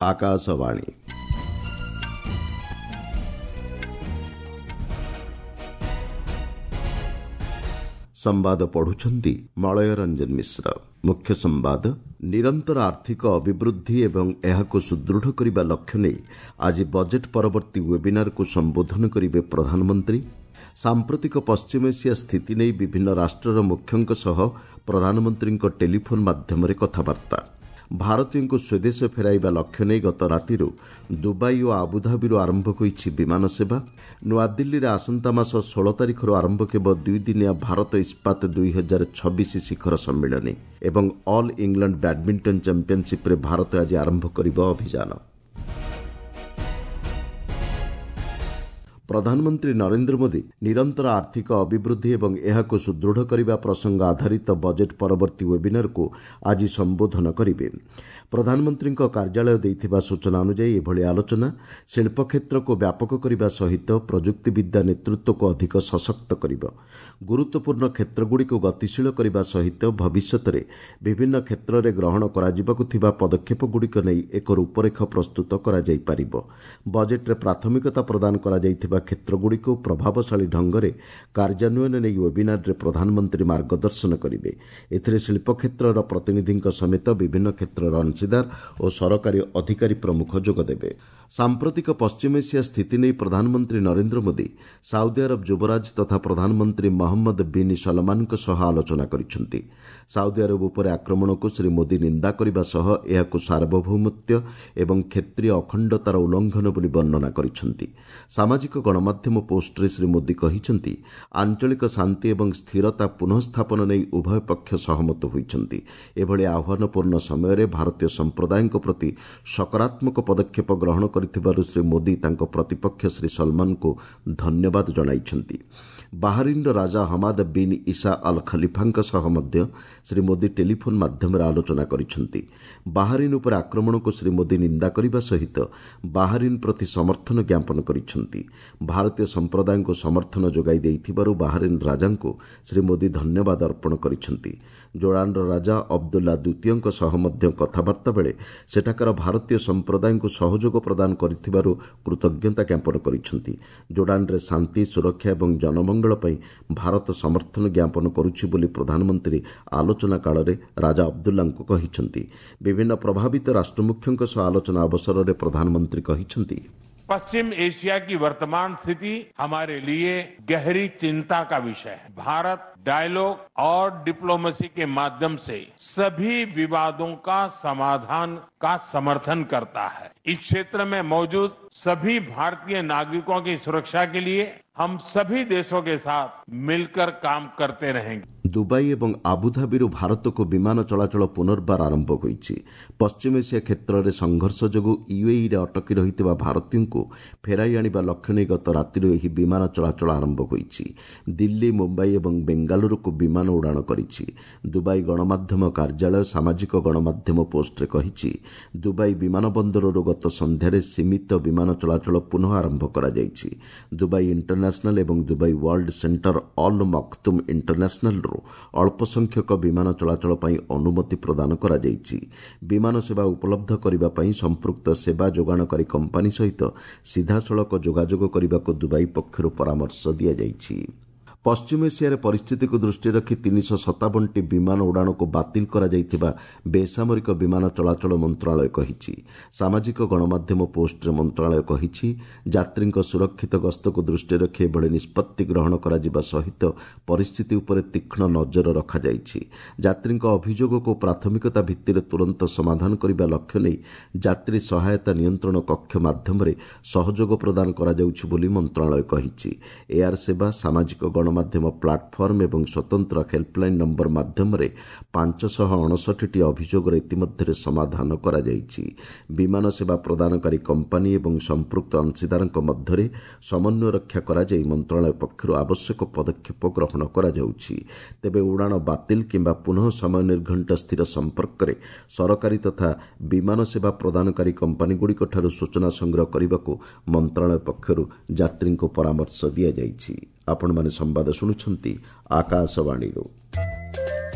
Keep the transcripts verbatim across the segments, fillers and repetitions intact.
ଆକାଶବାଣୀ ସମ୍ବାଦ ପଢୁଛନ୍ତି ମଳୟ ରଞ୍ଜନ ମିଶ୍ର। ମୁଖ୍ୟ ସମ୍ବାଦ। ନିରନ୍ତର ଆର୍ଥିକ ଅଭିବୃଦ୍ଧି ଏବଂ ଏହାକୁ ସୁଦୃଢ଼ କରିବା ଲକ୍ଷ୍ୟ ନେଇ ଆଜି ବଜେଟ୍ ପରବର୍ତ୍ତୀ ୱେବିନାରକୁ ସମ୍ବୋଧନ କରିବେ ପ୍ରଧାନମନ୍ତ୍ରୀ। ସାମ୍ପ୍ରତିକ ପଶ୍ଚିମ ଏସିଆ ସ୍ଥିତି ନେଇ ବିଭିନ୍ନ ରାଷ୍ଟ୍ରର ମୁଖ୍ୟଙ୍କ ସହ ପ୍ରଧାନମନ୍ତ୍ରୀଙ୍କ ଟେଲିଫୋନ୍ ମାଧ୍ୟମରେ କଥାବାର୍ତ୍ତା। ଭାରତୀୟଙ୍କୁ ସ୍ୱଦେଶ ଫେରାଇବା ଲକ୍ଷ୍ୟ ନେଇ ଗତ ରାତିରୁ ଦୁବାଇ ଓ ଆବୁଧାବିରୁ ଆରମ୍ଭ ହୋଇଛି ବିମାନ ସେବା। ନୂଆଦିଲ୍ଲୀରେ ଆସନ୍ତା ମାସ ଷୋହଳ ତାରିଖରୁ ଆରମ୍ଭ ହେବ ଦୁଇଦିନିଆ ଭାରତ ଇସ୍ପାତ ଦୁଇ ହଜାର ଛବିଶ ଶିଖର ସମ୍ମିଳନୀ ଏବଂ ଅଲ୍ ଇଂଲଣ୍ଡ ବ୍ୟାଡ୍ମିଣ୍ଟନ ଚାମ୍ପିୟନସିପ୍ରେ ଭାରତ ଆଜି ଆରମ୍ଭ କରିବ ଅଭିଯାନ। ପ୍ରଧାନମନ୍ତ୍ରୀ ନରେନ୍ଦ୍ର ମୋଦି ନିରନ୍ତର ଆର୍ଥିକ ଅଭିବୃଦ୍ଧି ଏବଂ ଏହାକୁ ସୁଦୃଢ଼ କରିବା ପ୍ରସଙ୍ଗ ଆଧାରିତ ବଜେଟ୍ ପରବର୍ତ୍ତୀ ୱେବିନାରକୁ ଆଜି ସମ୍ବୋଧନ କରିବେ। ପ୍ରଧାନମନ୍ତ୍ରୀଙ୍କ କାର୍ଯ୍ୟାଳୟ ଦେଇଥିବା ସୂଚନା ଅନୁଯାୟୀ ଏଭଳି ଆଲୋଚନା ଶିଳ୍ପ କ୍ଷେତ୍ରକୁ ବ୍ୟାପକ କରିବା ସହିତ ପ୍ରଯୁକ୍ତିବିଦ୍ୟା ନେତୃତ୍ୱକୁ ଅଧିକ ସଶକ୍ତ କରିବ। ଗୁରୁତ୍ୱପୂର୍ଣ୍ଣ କ୍ଷେତ୍ରଗୁଡ଼ିକୁ ଗତିଶୀଳ କରିବା ସହିତ ଭବିଷ୍ୟତରେ ବିଭିନ୍ନ କ୍ଷେତ୍ରରେ ଗ୍ରହଣ କରାଯିବାକୁ ଥିବା ପଦକ୍ଷେପଗୁଡ଼ିକ ନେଇ ଏକ ରୂପରେଖ ପ୍ରସ୍ତୁତ କରାଯାଇପାରିବ। ବଜେଟ୍ରେ ପ୍ରାଥମିକତା ପ୍ରଦାନ କରାଯାଇଥିବା କ୍ଷେତ୍ରଗୁଡ଼ିକୁ ପ୍ରଭାବଶାଳୀ ଢଙ୍ଗରେ କାର୍ଯ୍ୟାନ୍ୱୟନ ନେଇ ୱେବିନାରରେ ପ୍ରଧାନମନ୍ତ୍ରୀ ମାର୍ଗଦର୍ଶନ କରିବେ। ଏଥିରେ ଶିଳ୍ପ କ୍ଷେତ୍ରର ପ୍ରତିନିଧିଙ୍କ ସମେତ ବିଭିନ୍ନ କ୍ଷେତ୍ରର ଅଂଶୀଦାର ଓ ସରକାରୀ ଅଧିକାରୀ ପ୍ରମୁଖ ଯୋଗଦେବେ। ସାମ୍ପ୍ରତିକ ପଶ୍ଚିମ ଏସିଆ ସ୍ଥିତି ନେଇ ପ୍ରଧାନମନ୍ତ୍ରୀ ନରେନ୍ଦ୍ର ମୋଦି ସାଉଦି ଆରବ ଯୁବରାଜ ତଥା ପ୍ରଧାନମନ୍ତ୍ରୀ ମହମ୍ମଦ ବିନ୍ ସଲମାନଙ୍କ ସହ ଆଲୋଚନା କରିଛନ୍ତି। ସାଉଦି ଆରବ ଉପରେ ଆକ୍ରମଣକୁ ଶ୍ରୀ ମୋଦି ନିନ୍ଦା କରିବା ସହ ଏହାକୁ ସାର୍ବଭୌମତ୍ୱ ଏବଂ କ୍ଷେତ୍ରୀୟ ଅଖଣ୍ଡତାର ଉଲ୍ଲଂଘନ ବୋଲି ବର୍ଣ୍ଣନା କରିଛନ୍ତି। ସାମାଜିକ ଗଣମାଧ୍ୟମ ପୋଷ୍ଟରେ ଶ୍ରୀ ମୋଦି କହିଛନ୍ତି, ଆଞ୍ଚଳିକ ଶାନ୍ତି ଏବଂ ସ୍ଥିରତା ପୁନଃସ୍ଥାପନ ନେଇ ଉଭୟ ପକ୍ଷ ସହମତ ହୋଇଛନ୍ତି। ଏଭଳି ଆହ୍ୱାନପୂର୍ଣ୍ଣ ସମୟରେ ଭାରତୀୟ ସମ୍ପ୍ରଦାୟଙ୍କ ପ୍ରତି ସକାରାତ୍ମକ ପଦକ୍ଷେପ ଗ୍ରହଣ କରିଥିବାରୁ ଶ୍ରୀ ମୋଦି ତାଙ୍କ ପ୍ରତିପକ୍ଷ ଶ୍ରୀ ସଲମାନଙ୍କୁ ଧନ୍ୟବାଦ ଜଣାଇଛନ୍ତି। ବାହାରିନ୍ର ରାଜା ହମାଦ ବିନ୍ ଇସା ଅଲ୍ ଖଲିଫାଙ୍କ ସହ ମଧ୍ୟ ଶ୍ରୀ ମୋଦି ଟେଲିଫୋନ୍ ମାଧ୍ୟମରେ ଆଲୋଚନା କରିଛନ୍ତି। ବାହାରିନ୍ ଉପରେ ଆକ୍ରମଣକୁ ଶ୍ରୀ ମୋଦି ନିନ୍ଦା କରିବା ସହିତ ବାହାରିନ୍ ପ୍ରତି ସମର୍ଥନ ଜ୍ଞାପନ କରିଛନ୍ତି। ଭାରତୀୟ ସମ୍ପ୍ରଦାୟଙ୍କୁ ସମର୍ଥନ ଯୋଗାଇ ଦେଇଥିବାରୁ ବାହାରିନ୍ ରାଜାଙ୍କୁ ଶ୍ରୀ ମୋଦି ଧନ୍ୟବାଦ ଅର୍ପଣ କରିଛନ୍ତି। ଜୋର୍ଡାନର ରାଜା ଅବଦୁଲ୍ଲା ଦ୍ୱିତୀୟଙ୍କ ସହ ମଧ୍ୟ କଥାବାର୍ତ୍ତା ବେଳେ ସେଠାକାର ଭାରତୀୟ ସମ୍ପ୍ରଦାୟଙ୍କୁ ସହଯୋଗ ପ୍ରଦାନ କରିଥିବାରୁ କୃତଜ୍ଞତା ଜ୍ଞାପନ କରିଛନ୍ତି। ଜୋର୍ଡାନରେ ଶାନ୍ତି, ସୁରକ୍ଷା ଏବଂ ଜନମଙ୍ଗଳ ପାଇଁ ଭାରତ ସମର୍ଥନ ଜ୍ଞାପନ କରୁଛି ବୋଲି ପ୍ରଧାନମନ୍ତ୍ରୀ ଆଲୋଚନା କାଳରେ ରାଜା ଅବଦୁଲ୍ଲାଙ୍କୁ କହିଛନ୍ତି। ବିଭିନ୍ନ ପ୍ରଭାବିତ ରାଷ୍ଟ୍ରମୁଖ୍ୟଙ୍କ ସହ ଆଲୋଚନା ଅବସରରେ ପ୍ରଧାନମନ୍ତ୍ରୀ କହିଛନ୍ତି, पश्चिम एशिया की वर्तमान स्थिति हमारे लिए गहरी चिंता का विषय है। भारत डायलॉग और डिप्लोमेसी के माध्यम से सभी विवादों का समाधान का समर्थन करता है। इस क्षेत्र में मौजूद सभी भारतीय नागरिकों की सुरक्षा के लिए हम सभी देशों के साथ मिलकर काम करते रहेंगे। ଦୁବାଇ ଏବଂ ଆବୁଧାବିରୁ ଭାରତକୁ ବିମାନ ଚଳାଚଳ ପୁନର୍ବାର ଆରମ୍ଭ ହୋଇଛି। ପଶ୍ଚିମ ଏସିଆ କ୍ଷେତ୍ରରେ ସଂଘର୍ଷ ଯୋଗୁଁ ୟୁଏଇରେ ଅଟକି ରହିଥିବା ଭାରତୀୟଙ୍କୁ ଫେରାଇ ଆଣିବା ଲକ୍ଷ୍ୟ ନେଇ ଗତ ରାତିରୁ ଏହି ବିମାନ ଚଳାଚଳ ଆରମ୍ଭ ହୋଇଛି। ଦିଲ୍ଲୀ, ମୁମ୍ବାଇ ଏବଂ ବେଙ୍ଗାଲୁରୁକୁ ବିମାନ ଉଡ଼ାଣ କରିଛି। ଦୁବାଇ ଗଣମାଧ୍ୟମ କାର୍ଯ୍ୟାଳୟ ସାମାଜିକ ଗଣମାଧ୍ୟମ ପୋଷ୍ଟରେ କହିଛି, ଦୁବାଇ ବିମାନ ବନ୍ଦରରୁ ଗତ ସନ୍ଧ୍ୟାରେ ସୀମିତ ବିମାନ ଚଳାଚଳ ପୁନଃ ଆରମ୍ଭ କରାଯାଇଛି। ଦୁବାଇ ଇଣ୍ଟରନ୍ୟାସନାଲ ଏବଂ ଦୁବାଇ ୱାର୍ଲଡ ସେଣ୍ଟର ଅଲ୍ ମକ୍ତୁମ୍ ଇଣ୍ଟରନ୍ୟାସନାଲରୁ ଅଳ୍ପ ସଂଖ୍ୟକ ବିମାନ ଚଳାଚଳ ପାଇଁ ଅନୁମତି ପ୍ରଦାନ କରାଯାଇଛି। ବିମାନ ସେବା ଉପଲବ୍ଧ କରିବା ପାଇଁ ସମ୍ପୃକ୍ତ ସେବା ଯୋଗାଣକାରୀ କମ୍ପାନୀ ସହିତ ସିଧାସଳଖ ଯୋଗାଯୋଗ କରିବାକୁ ଦୁବାଇ ପକ୍ଷରୁ ପରାମର୍ଶ ଦିଆଯାଇଛି। ପଶ୍ଚିମ ଏସିଆରେ ପରିସ୍ଥିତିକୁ ଦୃଷ୍ଟିରେ ରଖି ତିନିଶହ ସତାବନଟି ବିମାନ ଉଡ଼ାଣକୁ ବାତିଲ କରାଯାଇଥିବା ବେସାମରିକ ବିମାନ ଚଳାଚଳ ମନ୍ତ୍ରଣାଳୟ କହିଛି। ସାମାଜିକ ଗଣମାଧ୍ୟମ ପୋଷ୍ଟରେ ମନ୍ତ୍ରଣାଳୟ କହିଛି, ଯାତ୍ରୀଙ୍କ ସୁରକ୍ଷିତ ଗସ୍ତକୁ ଦୃଷ୍ଟିରେ ରଖି ଏଭଳି ନିଷ୍ପତ୍ତି ଗ୍ରହଣ କରାଯିବା ସହିତ ପରିସ୍ଥିତି ଉପରେ ତୀକ୍ଷ୍ଣ ନଜର ରଖାଯାଇଛି। ଯାତ୍ରୀଙ୍କ ଅଭିଯୋଗକୁ ପ୍ରାଥମିକତା ଭିତ୍ତିରେ ତୁରନ୍ତ ସମାଧାନ କରିବା ଲକ୍ଷ୍ୟ ନେଇ ଯାତ୍ରୀ ସହାୟତା ନିୟନ୍ତ୍ରଣ କକ୍ଷ ମାଧ୍ୟମରେ ସହଯୋଗ ପ୍ରଦାନ କରାଯାଉଛି ବୋଲି ମନ୍ତ୍ରଣାଳୟ କହିଛି। ଏୟାର ସେବା, ସାମାଜିକ ଗଣମାଧ୍ୟମ ମାଧ୍ୟମ ପ୍ଲାଟଫର୍ମ ଏବଂ ସ୍ୱତନ୍ତ୍ର ହେଲ୍ପଲାଇନ୍ ନମ୍ବର ମାଧ୍ୟମରେ ପାଞ୍ଚଶହ ଅଣଷଠିଟି ଅଭିଯୋଗର ଇତିମଧ୍ୟରେ ସମାଧାନ କରାଯାଇଛି। ବିମାନ ସେବା ପ୍ରଦାନକାରୀ କମ୍ପାନୀ ଏବଂ ସମ୍ପୃକ୍ତ ଅଂଶୀଦାରଙ୍କ ମଧ୍ୟରେ ସମନ୍ୱୟ ରକ୍ଷା କରାଯାଇ ମନ୍ତ୍ରଣାଳୟ ପକ୍ଷରୁ ଆବଶ୍ୟକ ପଦକ୍ଷେପ ଗ୍ରହଣ କରାଯାଉଛି। ତେବେ ଉଡ଼ାଣ ବାତିଲ କିମ୍ବା ପୁନଃ ସମୟ ନିର୍ଘଣ୍ଟ ସ୍ଥିର ସମ୍ପର୍କରେ ସରକାରୀ ତଥା ବିମାନ ସେବା ପ୍ରଦାନକାରୀ କମ୍ପାନୀଗୁଡ଼ିକଠାରୁ ସୂଚନା ସଂଗ୍ରହ କରିବାକୁ ମନ୍ତ୍ରଣାଳୟ ପକ୍ଷରୁ ଯାତ୍ରୀଙ୍କୁ ପରାମର୍ଶ ଦିଆଯାଇଛି। ଆପଣମାନେ ସମ୍ବାଦ ଶୁଣୁଛନ୍ତି ଆକାଶବାଣୀରୁ।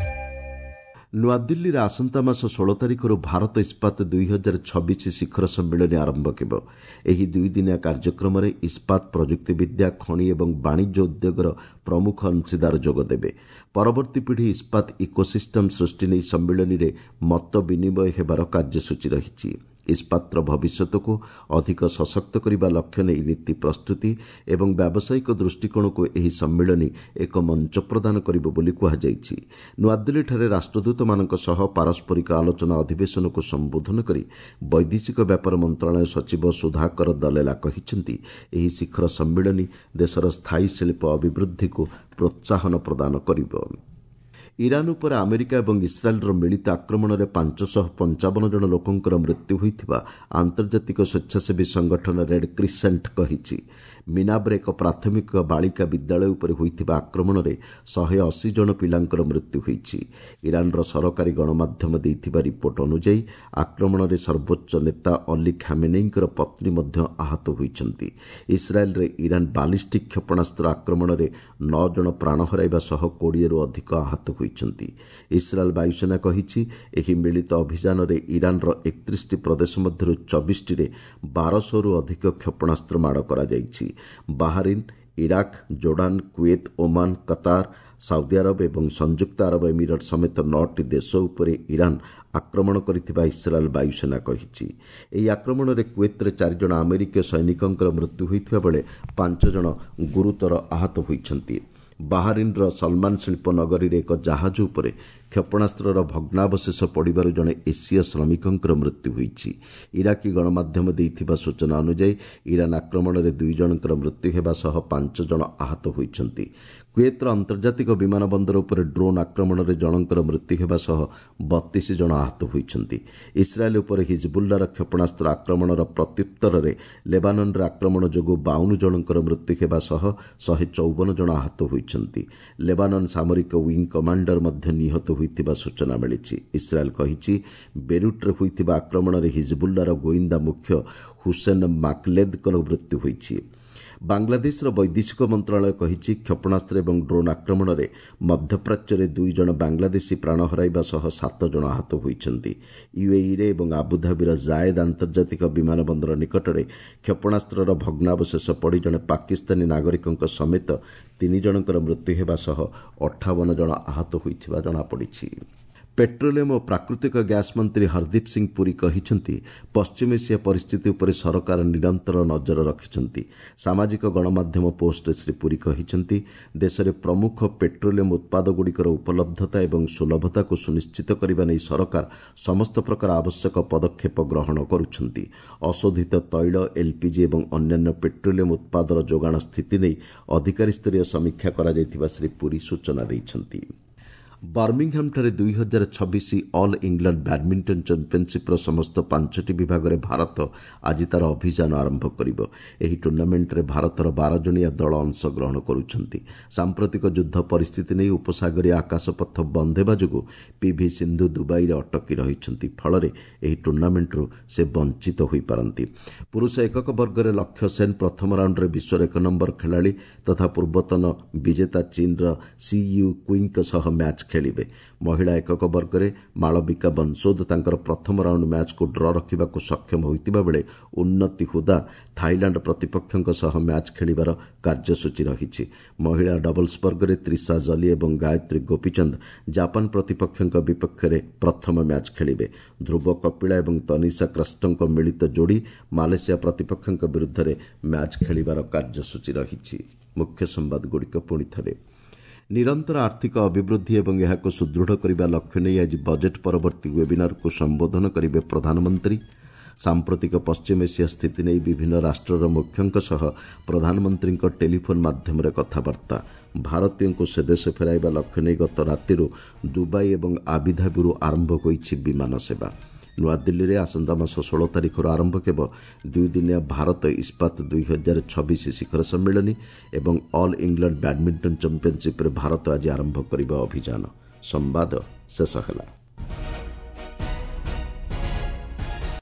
ନୂଆଦିଲ୍ଲୀରେ ଆସନ୍ତା ମାସ ଷୋହଳ ତାରିଖରୁ ଭାରତ ଇସ୍ପାତ ଦୁଇ ହଜାର ଛବିଶ ଶିଖର ସମ୍ମିଳନୀ ଆରମ୍ଭ ହେବ। ଏହି ଦୁଇଦିନିଆ କାର୍ଯ୍ୟକ୍ରମରେ ଇସ୍ପାତ ପ୍ରଯୁକ୍ତିବିଦ୍ୟା, ଖଣି ଏବଂ ବାଣିଜ୍ୟ ଉଦ୍ୟୋଗର ପ୍ରମୁଖ ଅଂଶୀଦାର ଯୋଗଦେବେ। ପରବର୍ତ୍ତୀ ପିଢ଼ି ଇସ୍ପାତ ଇକୋସିଷ୍ଟମ୍ ସୃଷ୍ଟି ନେଇ ସମ୍ମିଳନୀରେ ମତ ବିନିମୟ ହେବାର କାର୍ଯ୍ୟସୂଚୀ ରହିଛି। ଇସ୍ପାତର ଭବିଷ୍ୟତକୁ ଅଧିକ ସଶକ୍ତ କରିବା ଲକ୍ଷ୍ୟ ନେଇ ନୀତି ପ୍ରସ୍ତୁତି ଏବଂ ବ୍ୟାବସାୟିକ ଦୃଷ୍ଟିକୋଣକୁ ଏହି ସମ୍ମିଳନୀ ଏକ ମଞ୍ଚ ପ୍ରଦାନ କରିବ ବୋଲି କୁହାଯାଇଛି। ନୂଆଦିଲ୍ଲୀଠାରେ ରାଷ୍ଟ୍ରଦୂତମାନଙ୍କ ସହ ପାରସ୍ପରିକ ଆଲୋଚନା ଅଧିବେଶନକୁ ସମ୍ବୋଧନ କରି ବୈଦେଶିକ ବ୍ୟାପାର ମନ୍ତ୍ରଣାଳୟ ସଚିବ ସୁଧାକର ଦଲେଲା କହିଛନ୍ତି, ଏହି ଶିଖର ସମ୍ମିଳନୀ ଦେଶର ସ୍ଥାୟୀ ଶିଳ୍ପ ଅଭିବୃଦ୍ଧିକୁ ପ୍ରୋତ୍ସାହନ ପ୍ରଦାନ କରିବ। ଇରାନ୍ ଉପରେ ଆମେରିକା ଏବଂ ଇସ୍ରାଏଲ୍ର ମିଳିତ ଆକ୍ରମଣରେ ପାଞ୍ଚଶହ ପଞ୍ଚାବନ ଜଣ ଲୋକଙ୍କର ମୃତ୍ୟୁ ହୋଇଥିବା ଆନ୍ତର୍ଜାତିକ ସ୍ୱେଚ୍ଛାସେବୀ ସଂଗଠନ ରେଡ୍ କ୍ରିସେଣ୍ଟ କହିଛି। ମିନାବରେ ଏକ ପ୍ରାଥମିକ ବାଳିକା ବିଦ୍ୟାଳୟ ଉପରେ ହୋଇଥିବା ଆକ୍ରମଣରେ ଶହେ ଅଶୀ ଜଣ ପିଲାଙ୍କର ମୃତ୍ୟୁ ହୋଇଛି। ଇରାନ୍ର ସରକାରୀ ଗଣମାଧ୍ୟମ ଦେଇଥିବା ରିପୋର୍ଟ ଅନୁଯାୟୀ ଆକ୍ରମଣରେ ସର୍ବୋଚ୍ଚ ନେତା ଅଲି ଖାମେନେଇଙ୍କର ପତ୍ନୀ ମଧ୍ୟ ଆହତ ହୋଇଛନ୍ତି। ଇସ୍ରାଏଲ୍ରେ ଇରାନ୍ ବାଲିଷ୍ଟିକ୍ କ୍ଷେପଣାସ୍ତ୍ର ଆକ୍ରମଣରେ ନଅ ଜଣ ପ୍ରାଣ ହରାଇବା ସହ କୋଡ଼ିଏରୁ ଅଧିକ ଆହତ ହୋଇଛନ୍ତି। ଇସ୍ରାଏଲ୍ ବାୟୁସେନା କହିଛି, ଏହି ମିଳିତ ଅଭିଯାନରେ ଇରାନ୍ର ଏକତିରିଶଟି ପ୍ରଦେଶ ମଧ୍ୟରୁ ଚବିଶଟିରେ ବାରଶହରୁ ଅଧିକ କ୍ଷେପଣାସ୍ତ୍ର ମାଡ଼ କରାଯାଇଛି। Bahrain, Iraq, Jordan, Kuwait, Oman, Qatar, Saudi Arab ଏବଂ ସଂଯୁକ୍ତ ଆରବ ଏମିରେଟ୍ ସମେତ ନଅଟି ଦେଶ ଉପରେ ଇରାନ୍ ଆକ୍ରମଣ କରିଥିବା ଇସ୍ରାଏଲ୍ ବାୟୁସେନା କହିଛି। ଏହି ଆକ୍ରମଣରେ କୁଏତ୍ରେ ଚାରିଜଣ ଆମେରିକୀୟ ସୈନିକଙ୍କର ମୃତ୍ୟୁ ହୋଇଥିବା ବେଳେ ପାଞ୍ଚ ଜଣ ଗୁରୁତର ଆହତ ହୋଇଛନ୍ତି। ବାହାରିନ୍ର ସଲମାନ ଶିଳ୍ପ ନଗରୀରେ ଏକ ଜାହାଜ ଉପରେ କ୍ଷେପଣାସ୍ତ୍ରର ଭଗ୍ନାବଶେଷ ପଡ଼ିବାରୁ ଜଣେ ଏସୀୟ ଶ୍ରମିକଙ୍କର ମୃତ୍ୟୁ ହୋଇଛି। ଇରାକୀ ଗଣମାଧ୍ୟମ ଦେଇଥିବା ସୂଚନା ଅନୁଯାୟୀ ଇରାନ୍ ଆକ୍ରମଣରେ ଦୁଇ ଜଣଙ୍କର ମୃତ୍ୟୁ ହେବା ସହ ପାଞ୍ଚ ଜଣ ଆହତ ହୋଇଛନ୍ତି। କୁଏତ୍ର ଆନ୍ତର୍ଜାତିକ ବିମାନ ବନ୍ଦର ଉପରେ ଡ୍ରୋନ୍ ଆକ୍ରମଣରେ ଜଣଙ୍କର ମୃତ୍ୟୁ ହେବା ସହ ବତିଶ ଜଣ ଆହତ ହୋଇଛନ୍ତି। ଇସ୍ରାଏଲ୍ ଉପରେ ହିଜବୁଲ୍ଲାର କ୍ଷେପଣାସ୍ତ୍ର ଆକ୍ରମଣର ପ୍ରତ୍ୟୁତ୍ତରରେ ଲେବାନନରେ ଆକ୍ରମଣ ଯୋଗୁଁ ବାଉନ ଜଣଙ୍କର ମୃତ୍ୟୁ ହେବା ସହ ଶହେ ଚଉବନ ଜଣ ଆହତ ହୋଇଛନ୍ତି। ଲେବାନନ ସାମରିକ ୱିଙ୍ଗ କମାଣ୍ଡର ମଧ୍ୟ ନିହତ ହୋଇଥିବା ସୂଚନା ମିଳିଛି। ଇସ୍ରାଏଲ୍ କହିଛି, ବେରୁଟ୍ରେ ହୋଇଥିବା ଆକ୍ରମଣରେ ହିଜବୁଲ୍ଲାର ଗୋଇନ୍ଦା ମୁଖ୍ୟ ହୁସେନ ମାକଲେଦଙ୍କର ମୃତ୍ୟୁ ହୋଇଛି। ବାଂଲାଦେଶର ବୈଦେଶିକ ମନ୍ତ୍ରଣାଳୟ କହିଛି, କ୍ଷେପଣାସ୍ତ୍ର ଏବଂ ଡ୍ରୋନ୍ ଆକ୍ରମଣରେ ମଧ୍ୟପ୍ରାଚ୍ୟରେ ଦୁଇ ଜଣ ବାଂଲାଦେଶୀ ପ୍ରାଣ ହରାଇବା ସହ ସାତ ଜଣ ଆହତ ହୋଇଛନ୍ତି। ୟୁଏଇରେ ଏବଂ ଆବୁଧାବିର ଜାଏଦ୍ ଆନ୍ତର୍ଜାତିକ ବିମାନ ବନ୍ଦର ନିକଟରେ କ୍ଷେପଣାସ୍ତ୍ରର ଭଗ୍ନାବଶେଷ ପଡ଼ି ଜଣେ ପାକିସ୍ତାନୀ ନାଗରିକଙ୍କ ସମେତ ତିନି ଜଣଙ୍କର ମୃତ୍ୟୁ ହେବା ସହ ଅଠାବନ ଜଣ ଆହତ ହୋଇଥିବା ଜଣାପଡ଼ିଛି। ପେଟ୍ରୋଲିୟମ ଓ ପ୍ରାକୃତିକ ଗ୍ୟାସ୍ ମନ୍ତ୍ରୀ ହରଦୀପ ସିଂ ପୁରୀ କହିଛନ୍ତି, ପଶ୍ଚିମ ଏସିଆ ପରିସ୍ଥିତି ଉପରେ ସରକାର ନିରନ୍ତର ନଜର ରଖିଛନ୍ତି। ସାମାଜିକ ଗଣମାଧ୍ୟମ ପୋଷ୍ଟରେ ଶ୍ରୀ ପୁରୀ କହିଛନ୍ତି, ଦେଶରେ ପ୍ରମୁଖ ପେଟ୍ରୋଲିୟମ ଉତ୍ପାଦଗୁଡ଼ିକର ଉପଲବ୍ଧତା ଏବଂ ସୁଲଭତାକୁ ସୁନିଶ୍ଚିତ କରିବା ନେଇ ସରକାର ସମସ୍ତ ପ୍ରକାର ଆବଶ୍ୟକ ପଦକ୍ଷେପ ଗ୍ରହଣ କରୁଛନ୍ତି। ଅଶୋଧିତ ତୈଳ, ଏଲ୍ପିଜି ଏବଂ ଅନ୍ୟାନ୍ୟ ପେଟ୍ରୋଲିୟମ ଉତ୍ପାଦର ଯୋଗାଣ ସ୍ଥିତି ନେଇ ଅଧିକାରୀସ୍ତରୀୟ ସମୀକ୍ଷା କରାଯାଇଥିବା ଶ୍ରୀ ପୁରୀ ସୂଚନା ଦେଇଛନ୍ତି। ବର୍ମିଂହାମ୍ଠାରେ ଦୁଇ ହଜାର ଛବିଶ ଅଲ୍ ଇଂଲଣ୍ଡ ବ୍ୟାଡ୍ମିଣ୍ଟନ ଚାମ୍ପିୟନସିପ୍ର ସମସ୍ତ ପାଞ୍ଚଟି ବିଭାଗରେ ଭାରତ ଆଜି ତା'ର ଅଭିଯାନ ଆରମ୍ଭ କରିବ। ଏହି ଟୁର୍ଣ୍ଣାମେଣ୍ଟରେ ଭାରତର ବାର ଜଣିଆ ଦଳ ଅଂଶଗ୍ରହଣ କରୁଛନ୍ତି। ସାମ୍ପ୍ରତିକ ଯୁଦ୍ଧ ପରିସ୍ଥିତି ନେଇ ଉପସାଗରୀୟ ଆକାଶପଥ ବନ୍ଦ ହେବା ଯୋଗୁଁ ପିଭି ସିନ୍ଧୁ ଦୁବାଇରେ ଅଟକି ରହିଛନ୍ତି। ଫଳରେ ଏହି ଟୁର୍ଣ୍ଣାମେଣ୍ଟରୁ ସେ ବଞ୍ଚିତ ହୋଇପାରନ୍ତି। ପୁରୁଷ ଏକକ ବର୍ଗରେ ଲକ୍ଷ୍ୟ ସେନ୍ ପ୍ରଥମ ରାଉଣ୍ଡରେ ବିଶ୍ୱର ଏକ ନମ୍ବର ଖେଳାଳି ତଥା ପୂର୍ବତନ ବିଜେତା ଚୀନ୍ର ସି ୟୁ କୁଇଙ୍କ ସହ ମ୍ୟାଚ୍ ଖେଳିବେ। ମହିଳା ଏକକ ବର୍ଗରେ ମାଳବିକା ବଂଶୋଦ ତାଙ୍କର ପ୍ରଥମ ରାଉଣ୍ଡ ମ୍ୟାଚ୍କୁ ଡ୍ର ରଖିବାକୁ ସକ୍ଷମ ହୋଇଥିବା ବେଳେ ଉନ୍ନତି ହୁଦା ଥାଇଲାଣ୍ଡ ପ୍ରତିପକ୍ଷଙ୍କ ସହ ମ୍ୟାଚ୍ ଖେଳିବାର କାର୍ଯ୍ୟସୂଚୀ ରହିଛି। ମହିଳା ଡବଲ୍ସ ବର୍ଗରେ ତ୍ରିଷା ଜଲି ଏବଂ ଗାୟତ୍ରୀ ଗୋପୀଚନ୍ଦ ଜାପାନ ପ୍ରତିପକ୍ଷଙ୍କ ବିପକ୍ଷରେ ପ୍ରଥମ ମ୍ୟାଚ୍ ଖେଳିବେ। ଧ୍ରୁବ କପିଳା ଏବଂ ତନିଷା କ୍ରଷ୍ଟଙ୍କ ମିଳିତ ଯୋଡ଼ି ମାଲେସିଆ ପ୍ରତିପକ୍ଷଙ୍କ ବିରୁଦ୍ଧରେ ମ୍ୟାଚ୍ ଖେଳିବାର କାର୍ଯ୍ୟସୂଚୀ ରହିଛି। ମୁଖ୍ୟ ସମ୍ବାଦଗୁଡ଼ିକ ପୁଣି ଥରେ। ନିରନ୍ତର ଆର୍ଥିକ ଅଭିବୃଦ୍ଧି ଏବଂ ଏହାକୁ ସୁଦୃଢ଼ କରିବା ଲକ୍ଷ୍ୟ ନେଇ ଆଜି ବଜେଟ୍ ପରବର୍ତ୍ତୀ ୱେବିନାରକୁ ସମ୍ବୋଧନ କରିବେ ପ୍ରଧାନମନ୍ତ୍ରୀ। ସାମ୍ପ୍ରତିକ ପଶ୍ଚିମ ଏସିଆ ସ୍ଥିତି ନେଇ ବିଭିନ୍ନ ରାଷ୍ଟ୍ରର ମୁଖ୍ୟଙ୍କ ସହ ପ୍ରଧାନମନ୍ତ୍ରୀଙ୍କ ଟେଲିଫୋନ୍ ମାଧ୍ୟମରେ କଥାବାର୍ତ୍ତା। ଭାରତୀୟଙ୍କୁ ସ୍ୱଦେଶ ଫେରାଇବା ଲକ୍ଷ୍ୟ ନେଇ ଗତ ରାତିରୁ ଦୁବାଇ ଏବଂ ଆବୁଧାବିରୁ ଆରମ୍ଭ ହୋଇଛି ବିମାନ ସେବା। ନୂଆଦିଲ୍ଲୀରେ ଆସନ୍ତା ମାସ ଷୋହଳ ତାରିଖରୁ ଆରମ୍ଭ ହେବ ଦୁଇଦିନିଆ ଭାରତ ଇସ୍ପାତ ଦୁଇ ହଜାର ଛବିଶ ଶିଖର ସମ୍ମିଳନୀ ଏବଂ ଅଲ୍ ଇଂଲଣ୍ଡ ବ୍ୟାଡ୍ମିଣ୍ଟନ ଚାମ୍ପିୟନସିପ୍ରେ ଭାରତ ଆଜି ଆରମ୍ଭ କରିବ ଅଭିଯାନ। ସମ୍ବାଦ ଶେଷ ହେଲା।